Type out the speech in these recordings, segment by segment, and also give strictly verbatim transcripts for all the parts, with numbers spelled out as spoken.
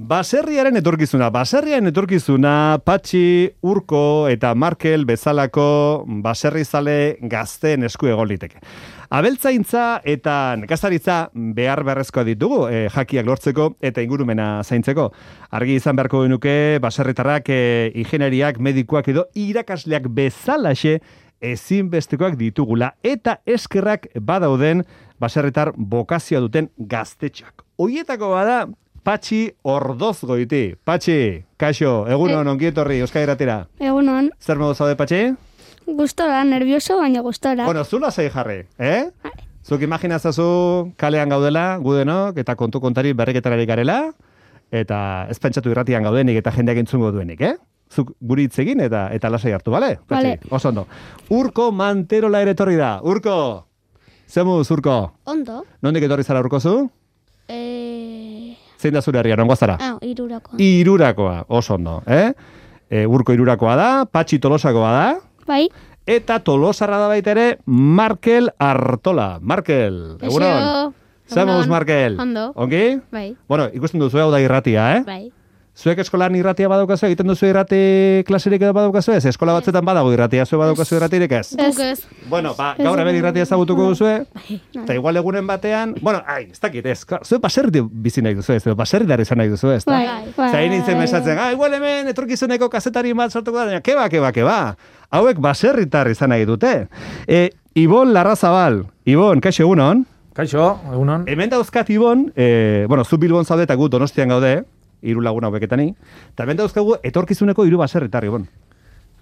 Baserriaren etorkizuna, baserriaren etorkizuna, Patxi, Urko eta Markel bezalako baserrizale gazteen esku egon liteke. Abeltzaintza eta nekazaritza behar beharrezkoa ditugu, e, jakiak lortzeko eta ingurumena zaintzeko. Argi izan beharko genuke, baserritarrak, e, ingeniariak, medikuak edo irakasleak bezalaxe ezinbestekoak ditugula eta eskerrak badauden baserritar bokazioa duten gaztetxak. Hoietako bada Patxi Ordozgoiti. Patxi, kaixo, egunon, ongi etorri, Euskadi Irratira. Egunon. Zer modu zaude, Patxi? Gustora, nervioso, baina gustora. Bueno, zula zei jarri, eh? Zuk imaginazazu kalean gaudela, gudenok, eta kontu kontari berriketararik garela, eta ez pentsatu irratian gaudenik eta jendeak entzungo duenik, eh? Zuk guri hitz egin eta eta lasai hartu, bale? Bale. Oso ondo. Urko Manterola ere etorri da. Urko! Zemuz, Urko? Ondo. Nondik etorri zara, Urko, zu? Eh... Zein da zure herria, nongo zara? Ah, irurakoa. Irurakoa, oso ondo, eh? E, Urko Irurakoa da, Patxi Tolosakoa da, Bai. eta Tolosarra da baita ere Markel Artola. Markel, egunon. Zemuz, Markel. Ondo. Ongi? Bai. Bueno, ikusten duzu hau da irratia, eh? Bai. Zuek eskolan irratia badaukazu, egiten duzu irrati klaserik edo badaukazu ez? Eskola batzuetan badago irratia, zuek badaukazu irratirik ez? Ez. Ez. Bueno, ba, gaur hemen irratia ezagutuko duzue, eta igual egunen batean, bueno, ai, ez dakit, ez, zuek baserri bizi nahi duzu ez, baserritari izan nahi duzu ez, Bai. Bai. Zain nintzen mesatzen, ah, igual hemen etorkizuneko kazetari bat sortuko da, keba, keba, keba. Hauek baserritar izan nahi dute. E, Ibon Larrazabal, Ibon, kaixo egunon? Kaixo, egunon. Hemen dauzkat Ibon, e, bueno, zu Bilbon zaude eta gu Donostian gaude, hiru lagun haueketani, eta hemen dauzkagu etorkizuneko hiru baserritar, Ibon.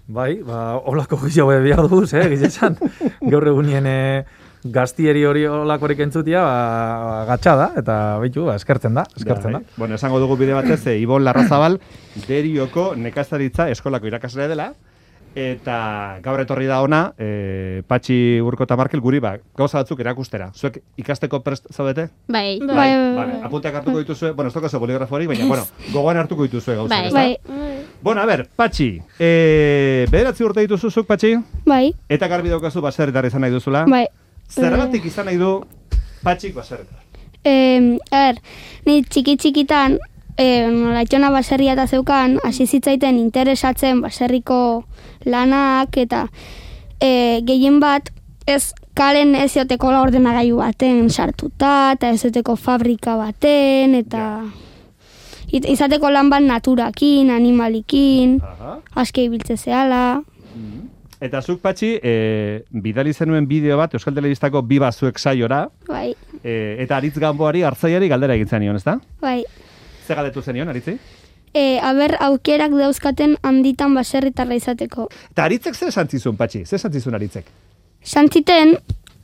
Bai, ba, holako gizio behar duz, eh, gizesan. Gaur egunien eh, gaztieri hori holakorik entzutia, ba, gatsa da, eta baitu, ba, eskertzen da, eskertzen da. Bueno, esango dugu bide batez, e, Ibon Larrazabal, Derioko nekazaritza eskolako irakaslea dela, eta gaur etorri da ona, e, Patxi, Urko eta Markel guri, ba, gauza batzuk erakustera. Zuek ikasteko prest zaudete? Bai. Bai, Bai. vale. Apunteak hartuko dituzue, bueno, ez tokazu boligrafo hori, baina, bueno, gogoan hartuko dituzue gauza. Bai. ezta? Bai. Bueno, a ber, Patxi, e, bederatzi urte dituzuzuk, Patxi, Bai. eta garbi daukazu baserritar izan nahi duzula. Bai. Zergatik izan nahi du Patxik baserritar? Eh, a ber, ni txiki txikitan, eh, laitxona baserria eta zeukan, hasi zitzaiten interesatzen baserriko lanak eta eh, gehien bat ez kalen ez joteko ordenagailu baten sartuta, eta ez joteko fabrika baten, eta it- izateko lan bat naturakin, animalikin, Aha. aske ibiltze zehala. Eta zuk, Patxi, e, bidali zenuen bideo bat Euskal Telebistako Biba zuek saiora, Bai, e, eta Aritz Ganboari, hartzaiari galdera egin zenion, ezta? bai. Ze galdetu zenion, Aritzi? E, aber, aukerak dauzkaten handitan baserritarra izateko. Eta Aritzek zer esan zizun, Patxi? Zer esan zizun Aritzek? Santziten,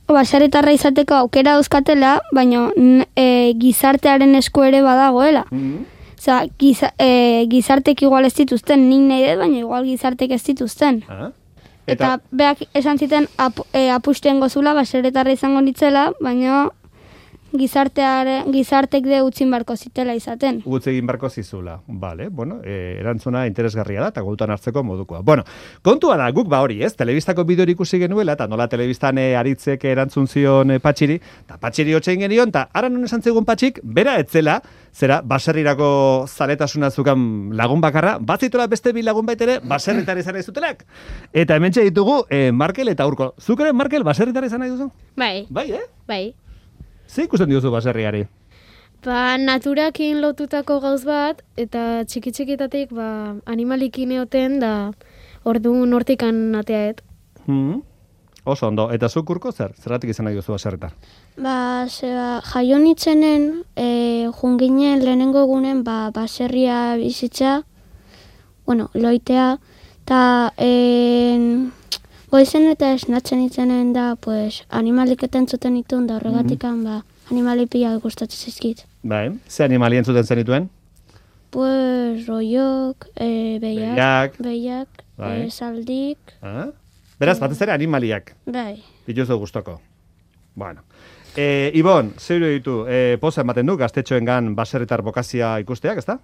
baserritarra izateko aukera dauzkatela, baina n- e, gizartearen esku ere badagoela. Mm Osa, giza, e, gizartek igual ez dituzten, nik nahi dut, baina igual gizartek ez dituzten. Ah. Eta, beak esan ziten ap, e, apusten gozula baserritarra izango nitzela, baina gizarteare, gizartek de utzin barko zitela izaten. Gutz egin barko zizula. Vale, bueno, e, erantzuna interesgarria da, eta gautan hartzeko modukoa. Bueno, kontua da, guk ba hori, ez? Telebistako bideori ikusi genuela, eta nola telebistan e, Aritzek erantzun zion e, Patxiri, eta Patxiri hotxein genion, eta ara non esan zegoen Patxik, bera etzela, zera, baserrirako zaletasuna zukan lagun bakarra, batzitola beste bi lagun baitere, baserritar izan nahi zutelak. Eta hementxe ditugu, e, Markel eta Urko. Zuk ere, Markel, baserritar izan nahi duzu? Bai, Bai, eh? bai. Ze ikusten diozu baserriari? Ba, naturakin lotutako gauz bat, eta txiki txikitatik ba, animalikin eoten, da orduan hortikan ateaet. Hmm. Oso ondo. Eta zuk, Urko, zer? Zergatik izan nahi duzu baserritar? Ba, zeba, jaio nitzenen, e, junginen lehenengo egunen, ba, baserria bizitza, bueno, loitea, eta en, goizen eta esnatzen itzenen da, pues, animalik eta entzuten itun, da horregatikan, ba, animali pila gustatzen zizkit. Bai, ze animali entzuten zenituen? Pues, roiok, e, behiak, Behiak. behiak, Bai. e, saldik, Ah? Beraz, batez ere animaliak, bai. dituzu gustoko. Bueno. E, Ibon, zeuro ditu, e, poza ematen du, gaztetxoengan baserritar bokazia ikusteak, ezta?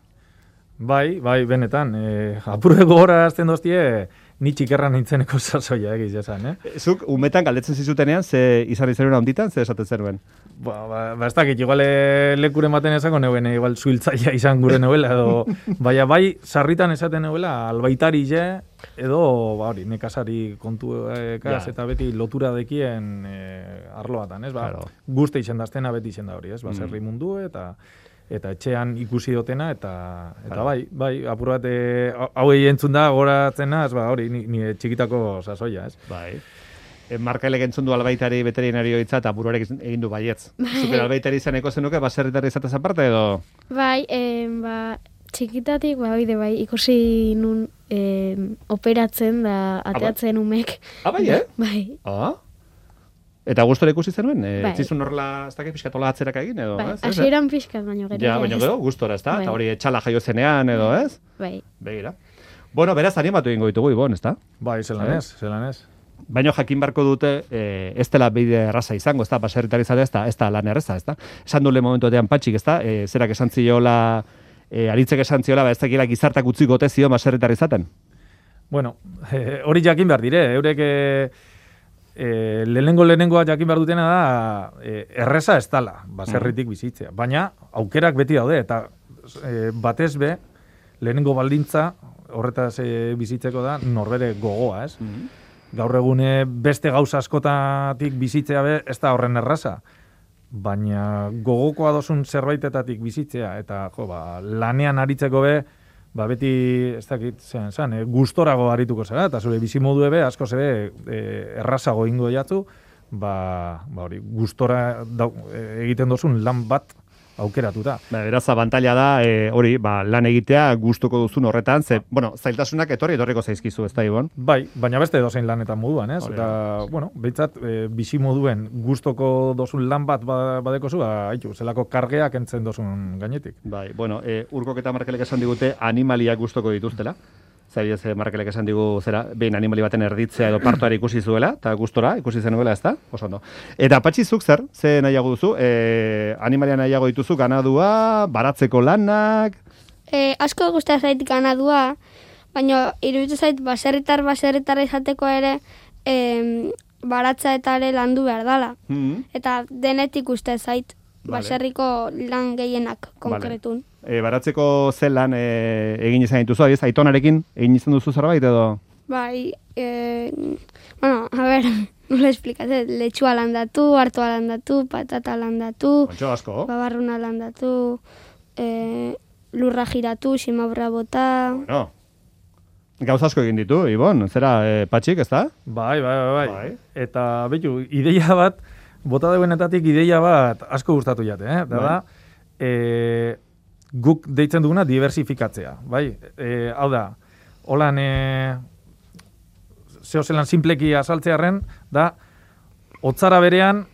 Bai, bai, benetan. E, apurde gogora azten doztie, ni txikerra nintzeneko sasoia egiz esan, eh? Zuk, umetan galdetzen zizutenean, ze izan izan handitan, ze esaten zenuen? Ba, ba, ba ez dakit, igual e, lekuren baten esako neuen, igual zuhiltzaia izan gure neuela, edo, baina bai, sarritan esaten neuela, albaitari je, edo, ba hori, nekazari kontu ekaz, Ja. eta beti lotura dekien e, arloatan, ez? Ba, Claro. guzti izen daztena beti izen da hori, ez? Baserri mundu, eta eta etxean ikusi dotena, eta eta Claro. bai, bai, apur bat, e, hauei entzun da, goratzena, ez ba, hori, ni, ni txikitako sasoia, ez? Bai. E, Markailek entzun du albaitari veterinario hitza eta buruarek egin du baietz. Zuker albaitari izaneko zenuke, baserritari izatez aparte edo? Bai, em, ba, txikitatik, ba, oide, bai, ikusi nun em, operatzen da ateatzen umek. Ah, bai, eh? Bai, Ah? Eta gustora ikusi zenuen? E, Bai. Zizun horrela, ez dakit pixkatola atzeraka egin edo, bai, ez? Ez, eh? hasieran pixkat, baino gero. Ja, ez. baina gero, gustora, ez da? Bai. Eta hori etxala jaio zenean edo, ez? Bai, Begira. Bueno, beraz, animatu egingo ditugu, Ibon, ez da? Bai, zelan ez, zelan ez. Baina jakin barko dute, e, ez dela bide erraza izango, ez da, baserritari izatea, ez da, ez da lan erraza, ez da. Esan dule momentu batean Patxik, ez da, e, zerak esan ziola, e, aritzek esan ziola, ba, ez dakila gizartak utzi gote zio baserritari izaten. Bueno, eh, hori jakin behar dire, eurek eh, eh, lehenengo lehenengoa jakin behar dutena da eh, erreza ez dala, baserritik bizitzea. Baina aukerak beti daude, eta eh, batez be, lehenengo baldintza horretaz eh, bizitzeko da norbere gogoa, ez? Gaur egune beste gauza askotatik bizitzea be, ez da horren erraza. Baina gogokoa dozun zerbaitetatik bizitzea, eta jo, ba, lanean aritzeko be, ba, beti, ez dakit, zean, zean, e, gustorago arituko zera, eta zure bizimodu ebe, asko zebe, e, errazago ingo jatzu, ba, ba hori, gustora dau, e, egiten dozun lan bat aukeratuta. Ba, beraz, abantaila da, e, hori, ba, lan egitea gustuko duzun horretan, ze, bueno, zailtasunak etorri etorriko zaizkizu, ez da, Ibon? Bai, baina beste dozein lanetan moduan, ez? Hori Eta, bueno, behintzat, e, bizi moduen gustoko dozun lan bat ba- badekozu, ba, haitu, zelako kargeak entzen dozun gainetik. Bai, bueno, e, Urkok eta Markelek esan digute animaliak gustoko dituztela. Zailez, Markelek esan digu zera, behin animali baten erditzea edo partoari ikusi zuela, eta gustora ikusi zenuela, ez da? Oso ondo. Eta Patxi, zuk zer, ze nahiago duzu? E, animalia nahiago dituzu, ganadua, baratzeko lanak... E, asko gusta zait ganadua, baina iruditu zait baserritar baserritar izateko ere em, baratza eta ere landu behar dala. Mm. Eta denetik uste zait Vale. baserriko lan gehienak konkretun. E, baratzeko zen lan e, egin izan dituzu, adiz, aitonarekin egin izan duzu zerbait edo... Bai, e, bueno, a ver, nola esplikatzen, letxua landatu, hartua landatu, patata landatu, Ontxo asko. babarruna landatu, e, lurra giratu, simabra bota... Bueno, gauza asko egin ditu, Ibon, zera, e, Patxik, ez da? Bai, bai, bai, bai. Bai. Eta, betu, ideia bat, bota deuenetatik ideia bat asko gustatu jate, eh? Da, Bai. da, e, guk deitzen duguna diversifikatzea, bai? E, hau da, holan, e, zehozelan simpleki azaltzearen, da, hotzara berean,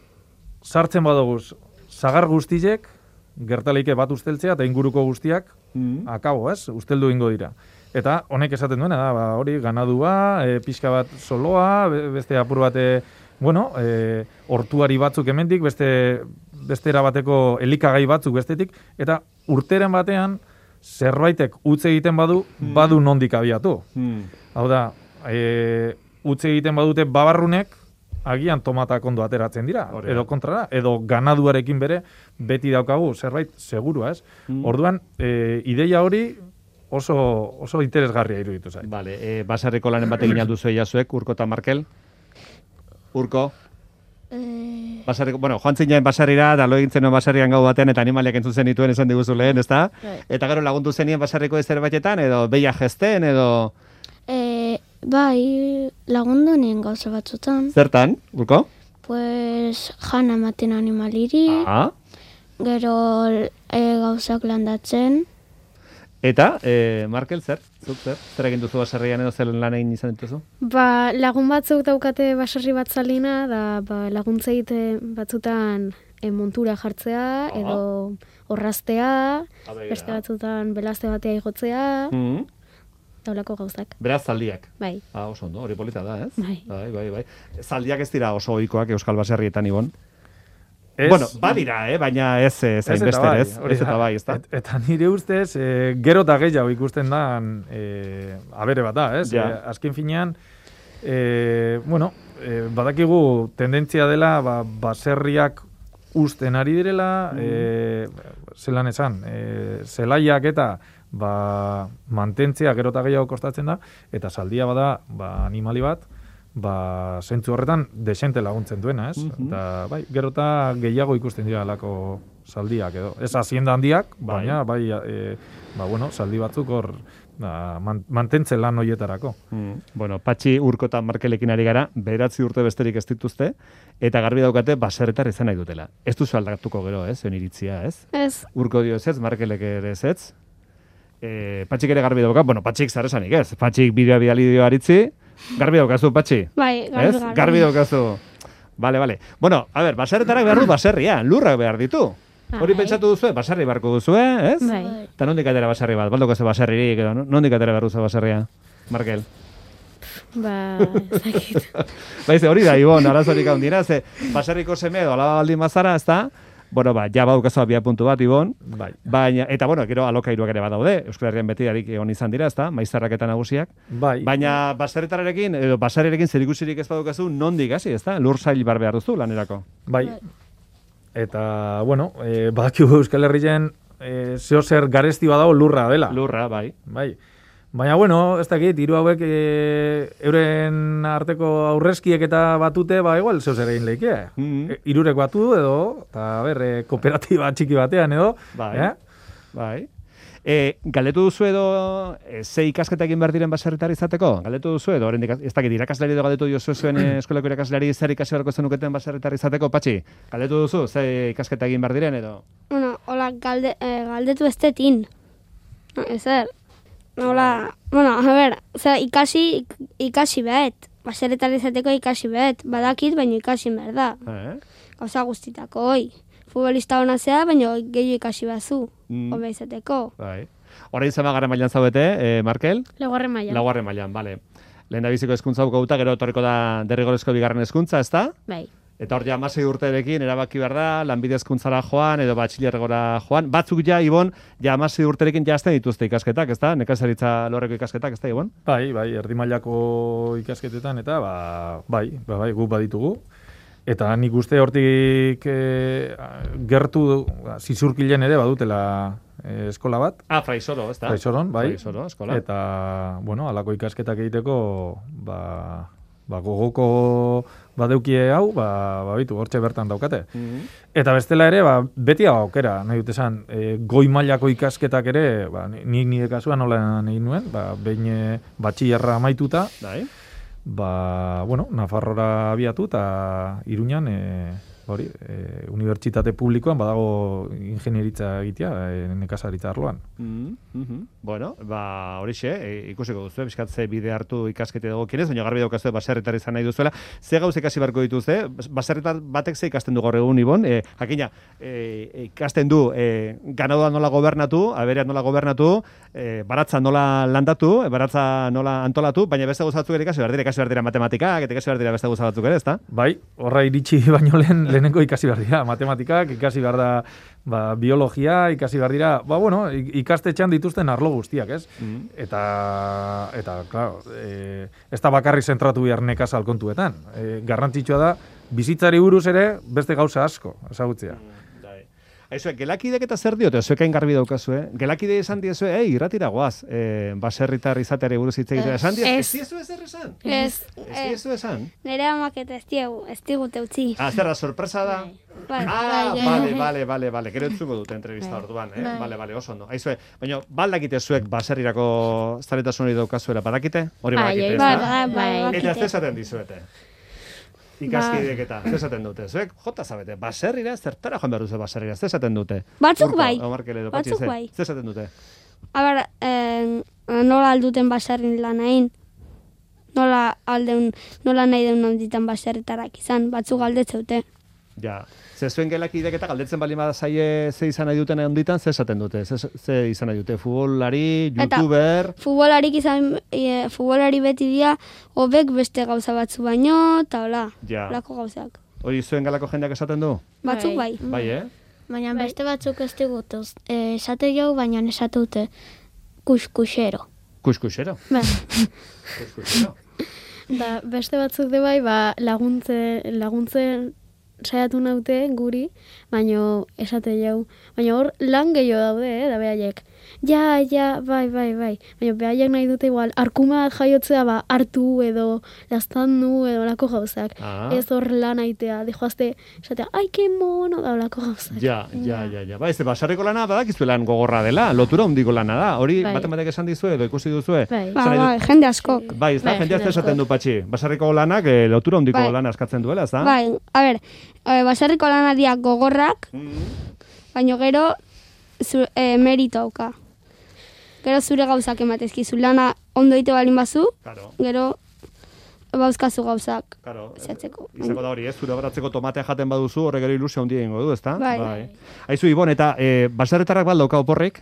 sartzen badoguz, zagar guztiek, gertaleike bat usteltzea, eta inguruko guztiak, Mm. akabo, ez? Usteldu ingo dira. Eta honek esaten duena da, ba, hori ganadua, e, pixka bat soloa, be- beste apur bat, e, bueno, e, hortuari batzuk hemendik, beste bestera bateko elikagai batzuk bestetik, eta urteren batean zerbaitek utz egiten badu, badu nondik abiatu. Mm. Hau da, e, utz egiten badute babarrunek, agian tomatak ondo ateratzen dira, Hori da. edo kontrara, edo ganaduarekin bere beti daukagu zerbait segurua, ez? Mm. Orduan, e, ideia hori oso, oso interesgarria iruditu zait. Vale, e, baserriko lanen bat egin alduzu zuek, Urko eta Markel? Urko? Eh, Baserriko, bueno, joan zinen baserrira, da lo egin zenuen baserrian gau batean, eta animaliak entzun zenituen esan diguzu lehen, ezta? Bai. Eta gero lagundu zenien baserriko zerbaitetan, edo beia jesten, edo... eh, bai, lagundu nien gauza batzutan. Zertan, Urko? Pues, jana ematen animaliri, Ah. gero e, gauzak landatzen. Eta, e, Markel, zer? Zuk zer? Zer egin duzu baserrian edo zer lan egin izan dituzu? Ba, lagun batzuk daukate baserri bat zalina, da ba, laguntzeit eh, batzutan eh, montura jartzea, edo orraztea, beste batzutan belazte batea igotzea, Mm. daulako gauzak. Beraz, zaldiak. Bai, Ah, oso ondo, hori polita da, ez? Bai. Bai, bai, bai. Zaldiak ez dira oso ohikoak Euskal Baserrietan, Ibon. Ez, bueno, badira, eh? Baina ez ez hainbeste, bai, ez? Ez eta bai, ez da. Et, eta nire ustez, e, gero eta gehiago ikusten da, e, abere bat da, ez? Ja. E, azken finean, e, bueno, e, badakigu tendentzia dela, ba, baserriak usten ari direla, mm. e, zelan esan, e, zelaiak eta ba, mantentzea gero eta gehiago kostatzen da, eta saldia bada ba, animali bat, ba, zentzu horretan desente laguntzen duena, ez? Mm-hmm. Eta, bai, gero eta gehiago ikusten dira alako saldiak edo. Ez hazienda handiak, bai. baina, bai, e, ba, bueno, saldi batzuk hor ba, man, mantentzen lan hoietarako. Mm. Bueno, Patxi Urko eta Markelekin ari gara, beratzi urte besterik ez dituzte, eta garbi daukate baserritar izan nahi dutela. Ez duzu aldatuko gero, ez? Zuen iritzia, ez? Ez. Urko dio ez ez, Markelek ere ez ez. E, Patxik ere garbi dauka, bueno, Patxik zaresanik ez. Patxik bideoa bidali dio aritzi, garbi daukazu, Patxi? Bai, garbi, ez? garbi. Garbi daukazu. Bale, bale. Bueno, a ber, baserretarak behar du baserria, lurrak behar ditu. Hori Bai. pentsatu duzue, baserri beharko duzue, ez? Bai. Eta nondik atera baserri bat, baldoko ze baserririk, edo nondik atera behar duzu baserria, Markel? Ba, ez dakit. Baize, hori da, Ibon, arazorik handira, ze baserriko seme edo alaba baldin bazara, ez da? Bueno, ba, ja baukazu abia puntu bat, Ibon. Bai. Baina, eta bueno, gero alokairuak ere badaude, Euskal Herrian beti darik egon izan dira, ezta? Maizarrak eta nagusiak. Bai. Baina baserritararekin edo baserriarekin zerikusirik ez badukazu nondik hasi, ezta? Lur sail bar behar duzu lanerako. Bai. Eta, bueno, e, badakigu Euskal Herrien e, zeo zer garesti badago lurra dela. Lurra, bai. Bai. Baina, bueno, ez dakit, hiru hauek e, euren arteko aurrezkiek eta batute, ba, igual, zeu zer egin leike. Mm-hmm. E, irurek batu edo, eta, ber, e, kooperatiba txiki batean edo. Bai. Eh? Bai. E, galdetu duzu edo e, ze ikasketa egin behar diren baserritar izateko? Galdetu duzu edo, oraindik ez dakit, irakaslari edo galdetu diozu zuen e, eskolako irakaslari zer ikasi beharko zenuketen baserritar izateko, Patxi? Galdetu duzu ze ikasketa egin behar diren edo? Bueno, hola, galde, eh, galdetu ez detin. No, ezer. Hola, bueno, a ver, oza, ikasi, ik, ikasi behet. Baserritar izateko ikasi behet. Badakit, baina ikasi behar da. Eh? Gauza guztitako, hoi. Futbolista hona zea, baina gehiago ikasi bazu. Mm. Hobe izateko. Bai. Orain zamagarren mailan zaudete, eh, Markel? Laugarren maila. Laugarren mailan, bale. Lehen da biziko hezkuntza bukauta, gero etorriko da derrigorrezko bigarren hezkuntza, ezta? Bai. Eta hor ja hamasei urterekin erabaki behar da, lanbide hezkuntzara joan edo batxilergora joan. Batzuk ja, Ibon, ja hamasei urterekin jazten dituzte ikasketak, ezta? Nekazaritza lorreko ikasketak, ezta, Ibon? Bai, bai, erdi mailako ikasketetan, eta, ba, bai, ba, bai, guk baditugu. Eta nik uste hortik e, gertu ba, zizurkilen ere badutela e, eskola bat. Ah, Fraisoro, ezta? Fraisoron, bai. Fraisoro, eskola. Eta, bueno, alako ikasketak egiteko, ba, ba gogoko badeukie hau, ba, ba bitu, hortxe bertan daukate. Mm-hmm. Eta bestela ere, ba, beti hau aukera, nahi dut esan, e, goi mailako ikasketak ere, ba, nik nire kasuan nola egin nuen, ba, behin e, batxillerra amaituta, Dai. ba, bueno, Nafarrora abiatu eta Iruñan, e, hori, e, unibertsitate publikoan badago ingenieritza egitea, e, nekazaritza arloan. Mm-hmm. Bueno, ba, horixe, e, ikusiko duzu, bizkat ze bide hartu ikaskete dago kinez, baina garbi daukazue baserritar izan nahi duzuela. Ze gauz ikasi beharko dituzte, baserritar batek ze ikasten du gaur egun, Ibon, e, jakina, e, ikasten du e, ganadoa nola gobernatu, aberea nola gobernatu, e, baratza nola landatu, e, baratza nola antolatu, baina beste gauza batzuk ere ikasi behar dira, ikasi behar dira matematikak, eta ikasi behar dira beste gauza batzuk ere, ezta? Bai, horra iritsi baino lehen lehenengo ikasi behar dira, matematikak, ikasi behar da ba, biologia, ikasi behar dira, ba, bueno, ikastetxean dituzten arlo guztiak, ez? Mm. Eta, eta, claro, e, ez da bakarrik zentratu behar nekazal kontuetan. E, garrantzitsua da, bizitzari buruz ere beste gauza asko, ezagutzea. Mm. Aizue, gelakidek eta zer diote, zuekain garbi daukazu, eh? Gelakide esan diezue, ei, irratira goaz, eh, baserritar izateare buruz hitz egiten. Esan diez, ez diezu ezer esan? Ez, Ez diezu esan? nire amak eta ez diegu, ez digute utzi. Ah, zerra, sorpresa da? Bai, Ah, bai, bale, bale, bale, bale, gero entzungo dute entrevista orduan, eh? Bale, bale, oso ondo. Aizue, baina, baldakite zuek baserrirako zaletasun hori daukazuela, badakite? Hori Bai, badakite, bai, ezta? bai, bai, Eta bakite. ez esaten dizuete. Ikaskidek eta, ez esaten dute. Zuek, jota zabete, baserrira, zertara joan behar duzu baserrira, ez esaten dute. Batzuk Urko, bai, o Markel edo Patxi, batzuk ze? bai. Ez esaten dute. A ber, eh, nola alduten baserrin lan hain? Nola aldeun, nola nahi deun onditan baserritarak izan, batzuk galdetzeute. Ja, ze zuen gelakidek eta galdetzen bali bada zaie ze izan nahi duten onditan, ze esaten dute, ze, ze izan nahi dute, futbolari, Eta- youtuber, Futbolarik izan, e, futbolari beti dira, hobek beste gauza batzu baino, eta hola, ja. holako gauzak. Hori zuen galako jendeak esaten du? Batzuk bai. Bai, eh? Baina beste batzuk ez digutuz. E, esate jau, baina esate dute kuskusero. Kuskusero. Ba, Kuskusero. da, beste batzuk de bai, ba, laguntze, laguntzen saiatu naute guri, baino esate jau. Baina hor lan gehiago daude, eh, da behaiek. Ja, ja, bai, bai, bai. Baina behaiek nahi dute igual, arkuma jaiotzea ba, hartu edo lastandu edo lako gauzak. Ah. Ez hor lan aitea, dejoazte, esatea, ai, ke mono, da lako gauzak. Ja, ja, ja, ja. Ba, ez, basarriko lana badakizu lan gogorra dela, lotura handiko lana da. Hori Bai. baten batek esan dizue edo ikusi duzue? Bai. Ba, Zer nahi bai, dut? jende askok. Bai, ez da, Bai, jendea jende esaten du askok. patxi. Basarriko lanak eh, lotura handiko Bai. lana eskatzen duela, ez da? Bai, a ber, e, baserriko lanadiak gogorrak, Mm. baina gero zu, e, merito hauka. Gero zure gauzak ematezkizu lana ondo ite balin bazu, Claro, gero bauzkazu gauzak claro. zehatzeko. Izango da hori, ez? Zure horatzeko tomatea jaten baduzu, horrek gero ilusio handia egingo du, ezta? Bai. Aizu, Ibon, eta e, baserritarrak baldauka oporrik?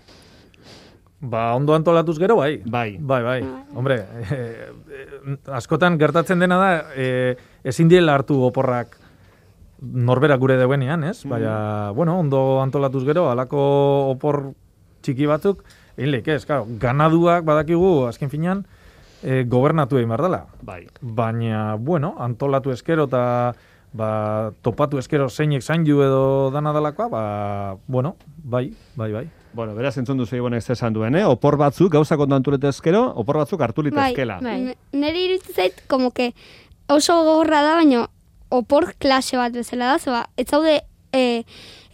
Ba, ondo antolatuz gero, bai. Bai. Bai, bai. Hombre, eh, eh, askotan gertatzen dena da, eh, ezin diela hartu oporrak norbera gure deuenean, ez? Baina, bueno, ondo antolatuz gero, halako opor txiki batzuk, egin leik ez, claro, ganaduak badakigu, azken finean, eh, gobernatu egin behar dela. Bai. Baina, bueno, antolatu eskero eta ba, topatu eskero zeinek zaindu edo dana dalakoa, ba, bueno, bai, bai, bai. Bueno, beraz entzun duzu Ibonek zer esan duen, eh? Opor batzuk gauzak ondo antuletezkero, opor batzuk hartu Bai, litezkela. bai. N- nire iruditzen zait, como que oso gogorra da, baina opor klase bat bezala da, zeba, ez zaude, e,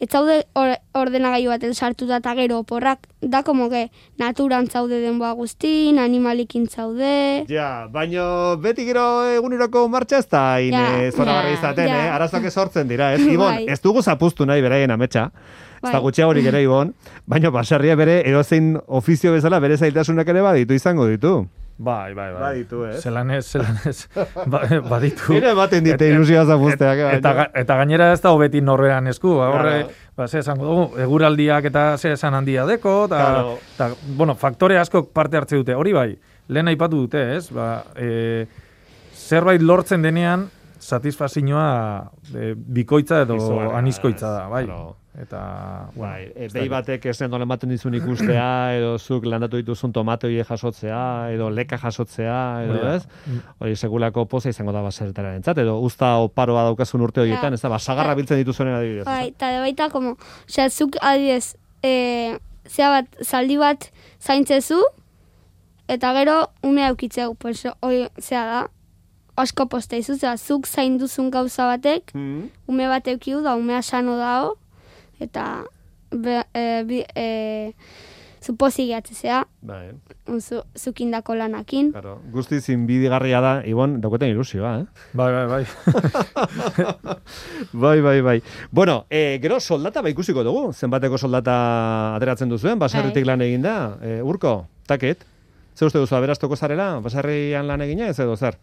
ez zaude or, ordenagailu baten sartuta eta gero oporrak, da como que naturan zaude denboa guztin, animalikin zaude, Ja, baino beti gero eguneroko martxa ez da hain Ja, eh, zoragarri ja, izaten, ja. eh? Arazoak sortzen dira, ez? Ibon, Bai. ez dugu zapuztu nahi beraien ametsa. Ez da Bai. gutxiagorik ere, Ibon, baino baserria bere edozein ofizio bezala bere zailtasunak ere baditu izango ditu. Bai, bai, bai. Baditu, ez? Zelanez, zelanez, ba, baditu. Nire ematen dite ilusioa zapuzteak. Et- eta, ga- eta gainera ez da hobeti norrean esku, ba, horre, Claro. ba, ze esango dugu, eguraldiak eta ze esan handia deko, eta, Claro. eta, bueno, faktore askok parte hartze dute, hori bai, lehen aipatu dute, ez, ba, e, zerbait lortzen denean, satisfazioa e, bikoitza edo Izugarria, anizkoitza da, bai. claro. Eta, bueno, Bai, e, ez behi dakit. batek ez nola ematen dizun ikustea, edo zuk landatu dituzun tomatoi jasotzea, edo leka jasotzea, edo Hori da. ez? Hori segulako poza izango da baserritaren entzat, edo usta oparoa daukazun urte horietan, ez da, basagarra biltzen dituzuenen adibidez. bai, eta de baita, como, osea, zuk adibidez, e, zea bat, zaldi bat zaintzezu, eta gero ume aukitzeu, pues, hoi, zea da, asko posta izu, zera, zuk zainduzun gauza batek, Mm. ume bat eukiu da, umea sano dao, eta be, e, bi, e, zu pozik gehatzea, Bai, zu, zukindako lanakin. claro. Guztiz inbidigarria da, Ibon, dauketen ilusioa, eh? Bai, bai, bai. Bai, bai, bai. Bueno, e, gero soldata ba ikusiko dugu, zenbateko soldata ateratzen duzuen, baserritik lan egin da, e, urko, taket? Zer uste duzu, aberastoko zarela, baserrian lan egina, ez edo zer?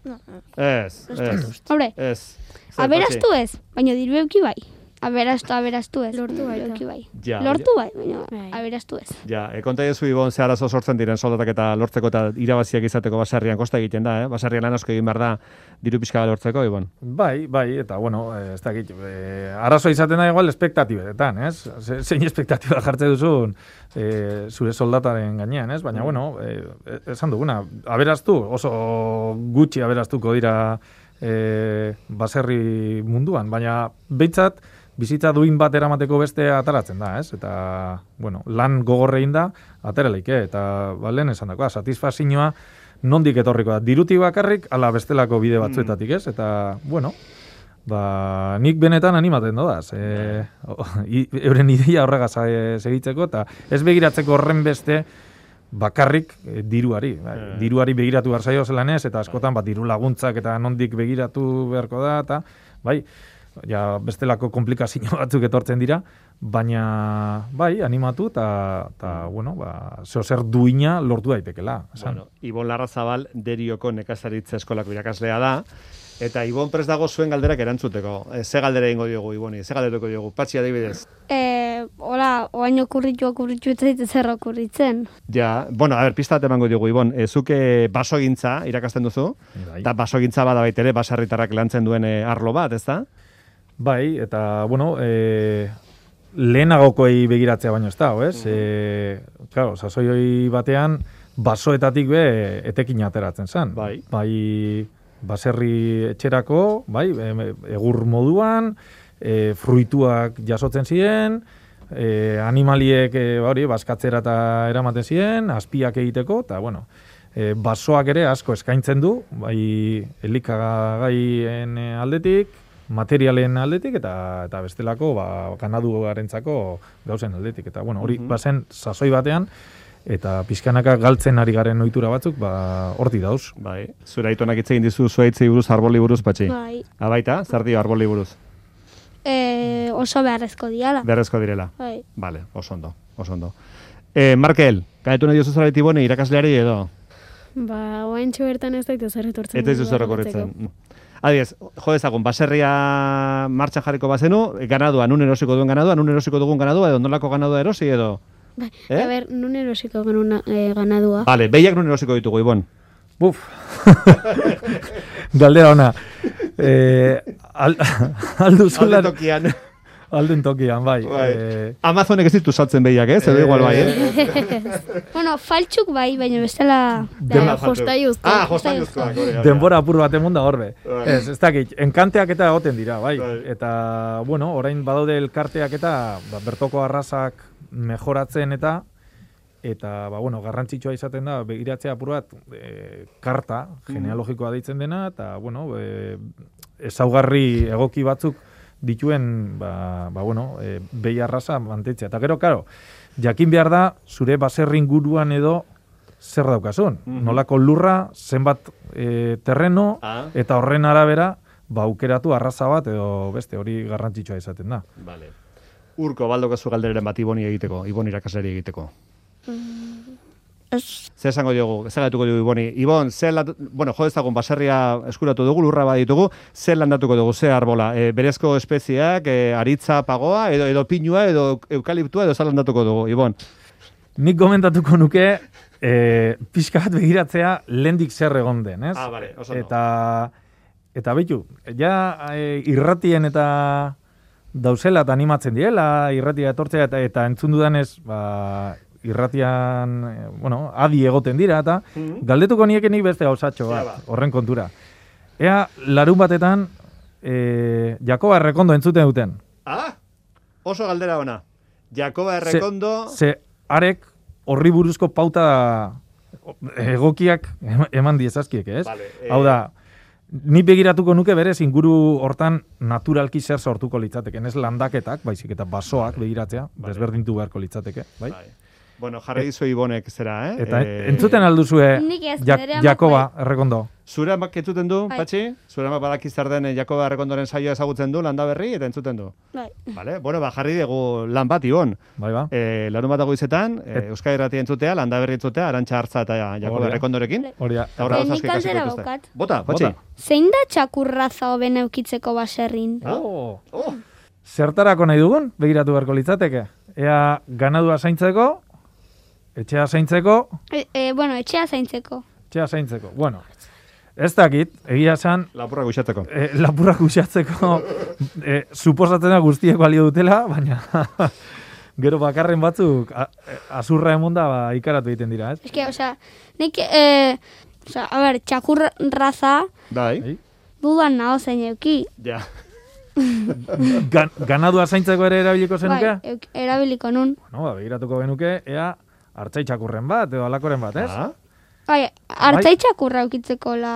No, Ez, ez, Hombre, ez. Zer, aberastu ez, baina diru euki bai. Aberastu, aberastu ez. Lortu diru baita. euki bai. Ja, Lortu bai, baina Bai. aberastu ez. Ja, e, konta ezu Ibon ze arazo sortzen diren soldatak eta lortzeko eta irabaziak izateko baserrian kosta egiten da, eh? Baserrian lan asko egin behar da diru pixka bat lortzeko, Ibon. Bai, bai, eta bueno, eh, ez dakit, eh, arazoa izaten da igual espektatibetan, ez? Ze- Zein espektatiba jartze duzun eh, zure soldataren gainean, ez? Baina, bueno, eh, esan duguna, aberaztu, oso gutxi aberastuko dira eh, baserri munduan, baina behintzat bizitza duin bat eramateko beste ataratzen da, ez? Eta, bueno, lan gogorrein da, ateraleik, eh? Eta, ba, lehen esan dakoa, satisfazioa nondik etorriko da. Dirutik bakarrik, ala bestelako bide batzuetatik, ez? Eta, bueno, ba, nik benetan animaten dodaz. E, o, i, euren ideia horregaz e, segitzeko, eta ez begiratzeko horren beste bakarrik e, diruari. Bai, Eh. diruari begiratu behar zaio zelan ez, eta askotan bat diru laguntzak eta nondik begiratu beharko da, eta bai, ja, bestelako komplikazio batzuk etortzen dira, baina bai, animatu eta, eta bueno, ba, zeo zer duina lortu daitekela. esan. Bueno, Ibon Larrazabal Derioko nekazaritza eskolako irakaslea da, eta Ibon prest dago zuen galderak erantzuteko. E, ze galdera egingo diogu Iboni, ze galderako diogu, Patxi adibidez. E, hola, oain okurritu okurritu ez zaite zer okurritzen. Ja, bueno, a ber, pista bat emango diogu Ibon, e, zuk e, basogintza irakasten duzu, Bai. eta basogintza bada baitere baserritarrak lantzen duen e, arlo bat, ez da? Bai, eta, bueno, e, lehenagokoei begiratzea baino ez da, ez? Mm. E, claro, sasoi hori batean, basoetatik be etekin ateratzen zen. Bai. Bai, baserri etxerako, bai, egur moduan, e, fruituak jasotzen ziren, e, animaliek e, hori, baskatzera eta eramaten ziren, azpiak egiteko, eta, bueno, e, basoak ere asko eskaintzen du, bai, elikagaien aldetik, materialen aldetik eta eta bestelako ba ganaduarentzako gauzen aldetik eta bueno hori bazen sasoi batean eta pizkanaka galtzen ari garen ohitura batzuk ba horti dauz. Bai, zure aitonak hitz egin dizu zuaitzei buruz, arboli buruz, Patxi. Bai. Abaita, zer dio arboli buruz? E, oso beharrezko diala. Beharrezko direla. Bai. Vale, oso ondo, oso ondo. Eh, Markel, gaitu nahi diozu zareti bone irakasleari edo? Ba, oaintxo bertan ez daite zer etortzen. Eta ez duzu rekorritzen. Adiez, jo dezagun, baserria martxan jarriko bazenu, ganadua, nun erosiko duen ganadua, nun erosiko dugun ganadua, edo nolako ganadua erosi, edo? Bai, Eh? a ber, nun erosiko genuen eh, ganadua. Vale, behiak nun erosiko ditugu, Ibon. Buf. Galdera ona. Eh, al, alduzula... Alde tokian. Alden tokian, bai. Bai. Eh, Amazonek ez ditu saltzen behiak, eh? Zer igual bai, eh? Bueno, faltxuk bai, baina bestela... Da, jostaiuzko. Ah, jostaiuzkoak. hori, hori. denbora apur bat emon da horbe. Bai. Ez, ez dakit, enkanteak eta egoten dira, bai. Bai. Eta, bueno, orain badaude elkarteak eta ba, bertoko arrazak mejoratzen eta eta, ba, bueno, garrantzitsua izaten da, begiratzea apur bat, e, karta, genealogikoa deitzen dena, eta, bueno, e, ezaugarri egoki batzuk dituen, ba, ba bueno, e, behi arraza mantentzea. Eta gero, karo, jakin behar da, zure baserri inguruan edo zer daukazun. Mhm. Nolako lurra, zenbat e, terreno, Ah. eta horren arabera, ba, aukeratu arraza bat edo beste, hori garrantzitsua izaten da. Vale. Urko, baldokazu galdereren bat Iboni egiteko, Ibon irakasleri egiteko. Ez, Zer esango diogu, zer gatuko diogu Iboni? Ibon, zer landatu, bueno, jo dezagun baserria eskuratu dugu, lurra baditugu, zer landatuko dugu, zer arbola? E, berezko espeziak, e, aritza pagoa, edo, edo pinua, edo eukaliptua, edo zer landatuko dugu, Ibon? Nik komentatuko nuke, e, pixka bat begiratzea lehendik zer egon den, ez? Ah, vale, oso ondo. Eta, eta behitu, ja e, irratien eta dauzela eta animatzen diela, irratia etortzea eta, eta entzun dudanez, ba, irratian, eh, bueno, adi egoten dira, eta galdetuko niekenik beste gauzatxo Ja, bat, ba. horren kontura. Ea, larun batetan, e, Jakoba Errekondo entzuten duten. Ah, oso galdera ona. Jakoba Errekondo... Ze, arek horri buruzko pauta egokiak em- eman diezazkiek, ez? Vale, eh, Hau da, ni begiratuko nuke berez inguru hortan naturalki zer sortuko litzateke, ez landaketak, baizik eta basoak begiratzea, desberdintu beharko litzateke, bai? Bai. Bueno, jarri dizu Ibonek zera, eh? Eta Eh, entzuten alduzue Nik ez, Jak- nire amak Jakoba Errekondo. Zure amak entzuten du, Bai. Patxi? Zure amak badaki zer den eh, Jakoba Errekondoren saioa ezagutzen du, landa berri, eta entzuten du. bai. Vale? Bueno, ba, jarri dugu lan bat, Ibon. Bai ba? E, larun bat izetan, e, Euskal Irratia entzutea, landa berri entzutea, Arantxa Artza eta Jakoba Hori da. Errekondorekin. Hori da. Eta horra Eh, gauza nik asko ikasiko galdera dituzte. daukat. Bota, Patxi. Bota. Zein da txakurraza hoben eukitzeko baserrin? Oh. Oh. Zertarako nahi dugun, begiratu beharko litzateke. Ea ganadua zaintzeko, etxea zaintzeko, E, e, bueno, etxea zaintzeko. etxea zaintzeko. Bueno, ez dakit, egia esan, Lapurra guxatzeko. e, lapurrak usatzeko e, suposatzen da guztiek balio dutela, baina gero bakarren batzuk a, e, azurra emonda ba, ikaratu egiten dira, ez? Es que, osea, nik, e, osea, a ber, txakurraza Bai. Bai. dudan naho zein euki. Ja. Gan, ganadua zaintzeko ere erabiliko zenuke? Bai, euk- erabiliko nun. Bueno, ba, begiratuko genuke, ea hartzaitxakurren bat, edo alakoren bat, ez? Ah, Bai, hartzai txakurra eukitzeko la...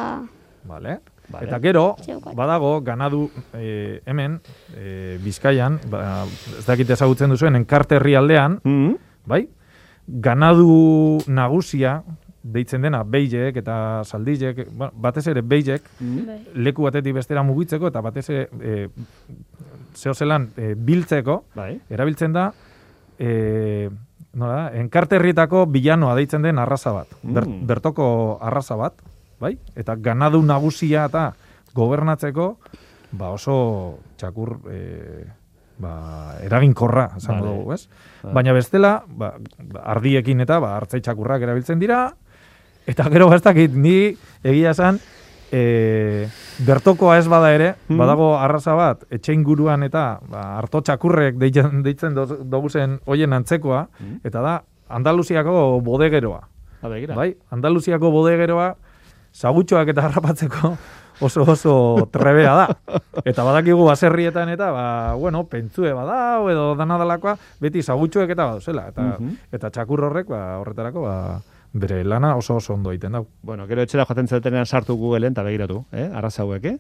Vale. Vale. Eta gero, Zeukat. badago, ganadu e, hemen, e, Bizkaian, ba, ez dakit ezagutzen duzuen, enkarte herrialdean, mm bai? Ganadu nagusia, deitzen dena beilek eta saldilek, bueno, batez ere beilek, Bai. leku batetik bestera mugitzeko, eta batez ere, e, zehozelan, e, biltzeko, Bai. erabiltzen da, e, nola da, enkarte herrietako bilanoa deitzen den arraza bat, ber, Mm. bertoko arraza bat, bai? Eta ganadu nagusia eta gobernatzeko, ba oso txakur e, ba, eraginkorra, esango Vale. dugu, ez? Vale. Baina bestela, ba, ardiekin eta ba, hartzai txakurrak erabiltzen dira, eta gero bastakit, ni egia esan, e, bertokoa ez bada ere, badago arraza bat, etxe inguruan eta ba, harto txakurrek deitzen, deitzen dugu zen hoien antzekoa, eta da Andaluziako bodegeroa. Bai, Andaluziako bodegeroa sagutxoak eta harrapatzeko oso oso trebea da. Eta badakigu baserrietan eta, ba, bueno, pentsue badao edo danadalakoa, beti sagutxoek eta baduzela. Eta, uh-huh. eta txakur horrek, ba, horretarako, ba, bere lana oso oso ondo egiten dau. Bueno, gero etxera joaten zetenean sartu Googleen eta begiratu, eh? Arraza hauek, eh?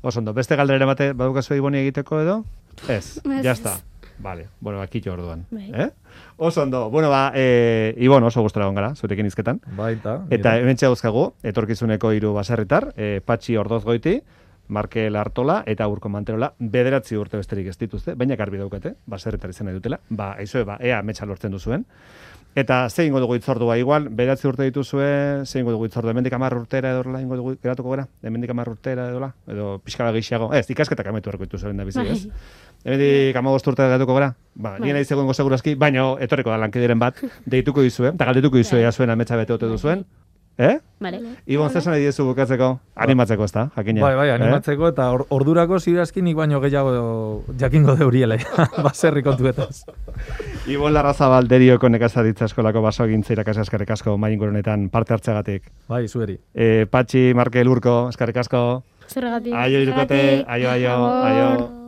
Oso ondo. Beste galdera bate badukazu iboni egiteko edo? Ez, ya está. Vale, bueno, akitxo orduan. Eh? Oso ondo. Bueno, ba, eh, Ibon oso gustora gongara, zurekin izketan. Baita. Eta hemen txauzkagu, etorkizuneko hiru baserritar, eh, Patxi Ordozgoiti, Markel Artola eta Urko Manterola, bederatzi urte besterik ez dituzte, baina garbi daukate, baserritar izan nahi dutela, ba, aizoe, ba, ea metxa lortzen duzuen. Eta ze ingo dugu itzordua igual, bederatzi urte dituzue, ze ingo dugu itzordua, hemendik hamar urtera edola ingo dugu geratuko gara, hemendik hamar urtera edola, edo pixka gehiago, ez, ikasketak ametu erko dituzuen da bizi, ez? Hemendik hamabost urtera geratuko gara, ba, nien nahi zegoengo segurazki, baina etorreko da lankideren bat, deituko dizue, eta galdetuko dizue zuen ametsa bete ote duzuen, eh? Vale. Ibon, zesan nahi diezu bukatzeko, animatzeko ez da, jakina. Bai, bai, animatzeko, eh? Eta or, ordurako zirazki nik baino gehiago jakingo deuriele, baserri kontuetaz. Ibon Larrazabal Derioko nekazaritza eskolako basogintza irakasle eskerrik asko mainguru honetan parte hartzeagatik. Bai, zueri. Eh, Patxi, Markel, Urko, eskerrik asko. Zergatik. Aio irukote, aio, aio, aio.